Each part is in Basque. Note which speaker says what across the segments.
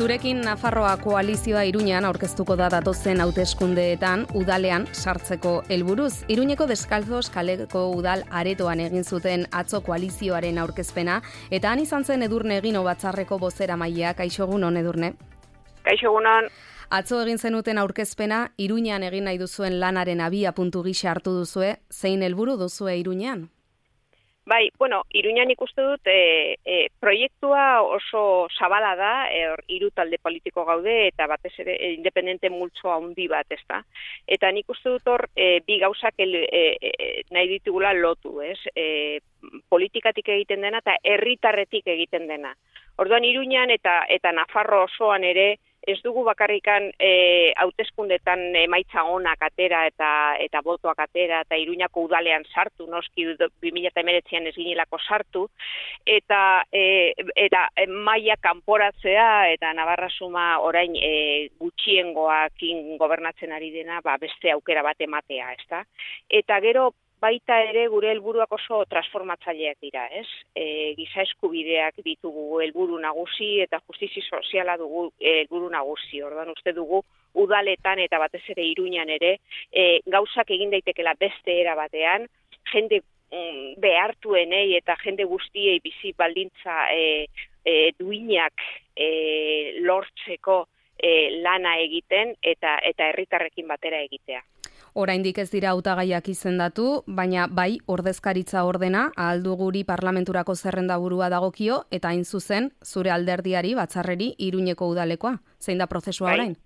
Speaker 1: Zurekin Nafarroa koalizioa Iruñean aurkeztuko da datozen hauteskundeetan udalean sartzeko helburuz. Iruñeko Deskalzos kaleko udal aretoan egin zuten atzo koalizioaren aurkezpena eta han izan zen Edurne Egino batzarreko bozeramailea. Kaixo egunon, Edurne.
Speaker 2: Kaixo egunon.
Speaker 1: Atzo egin zenuten aurkezpena Iruñean egin nahi duzuen lanaren abiapuntu gisa hartu duzue. Zein helburu duzue Iruñean?
Speaker 2: Bai, Iruñan ikuste dut proiektua oso zabala da, hiru talde politiko gaude eta batez ere independente multzo handi bat, ezta? Eta nik uste dut hor bi gauzak nahi ditugula lotu, ez? Politikatik egiten dena eta herritarretik egiten dena. Orduan Iruñan eta Nafarro osoan ere ez dugu bakarrikan hauteskundetan emaitza onak atera eta botoak atera eta Iruñako udalean sartu, noski 2019an ez ginelako sartu, eta maila kanporatzea eta Navarra Suma orain gutxiengoakin gobernatzen ari dena, beste aukera bat ematea, ezta? Eta gero baita ere gure helburuak oso transformatzaileak dira, ez? Giza eskubideak ditugu helburu nagusi eta justizia soziala dugu helburu nagusi. Orduan uste dugu udaletan eta batez ere Iruñan ere gauzak egin daitekela beste era batean, jende behartuenei eta jende guztiei bizi baldintza duinak lortzeko lana egiten eta herritarrekin batera egitea.
Speaker 1: Oraindik ez dira hautagaiak izendatu, baina bai ordezkaritza ordena ahaldu guri parlamenturako zerrendaburua dagokio eta hain zuzen zure alderdiari batzarreri Iruñeko udalekoa. Zein da prozesua orain?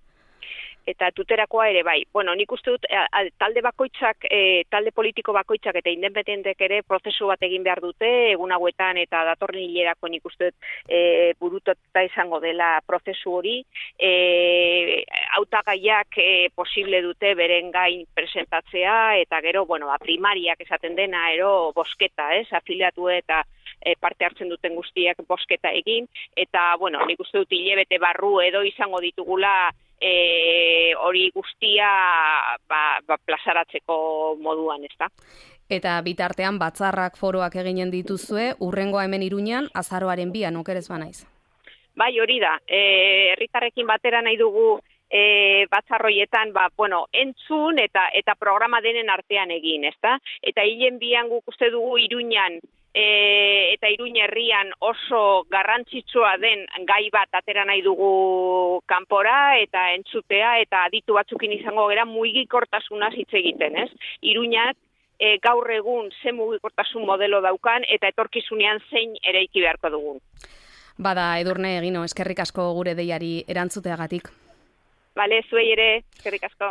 Speaker 2: Eta tuterakoa ere bai. Nik uste dut talde bakoitzak, talde politiko bakoitzak eta independentek ere prozesu bat egin behar dute, egun hauetan eta datorren hilerako nik uste dut burututa izango dela prozesu hori. Hautagaiak posible dute beren gain presentatzea eta gero, primariak esaten dena, bosketa, afiliatu eta parte hartzen duten guztiak bosketa egin, eta, nik uste dut hilabete barru edo izango ditugula hori guztia plazaratzeko moduan, ezta?
Speaker 1: Eta bitartean batzarrak foroak eginen dituzue, urrengoa hemen Iruñan, azaroaren 2, okerez banaiz.
Speaker 2: Bai, hori da. Herritarrekin batera nahi dugu batzarroietan, entzun eta programa denen artean egin, ezta? Eta hilen 2 guk uste dugu Iruñan eta Iruña herrian oso garrantzitsua den gai bat atera nahi dugu kanpora eta entzutea eta aditu batzukin izango gera mugikortasunaz hitz egiten, ez? Iruñak gaur egun ze mugikortasun modelo daukan eta etorkizunean zein eraiki beharko dugun.
Speaker 1: Bada, Edurne Egino, eskerrik asko gure deiari erantzuteagatik.
Speaker 2: Bale, zuei ere, eskerrik asko.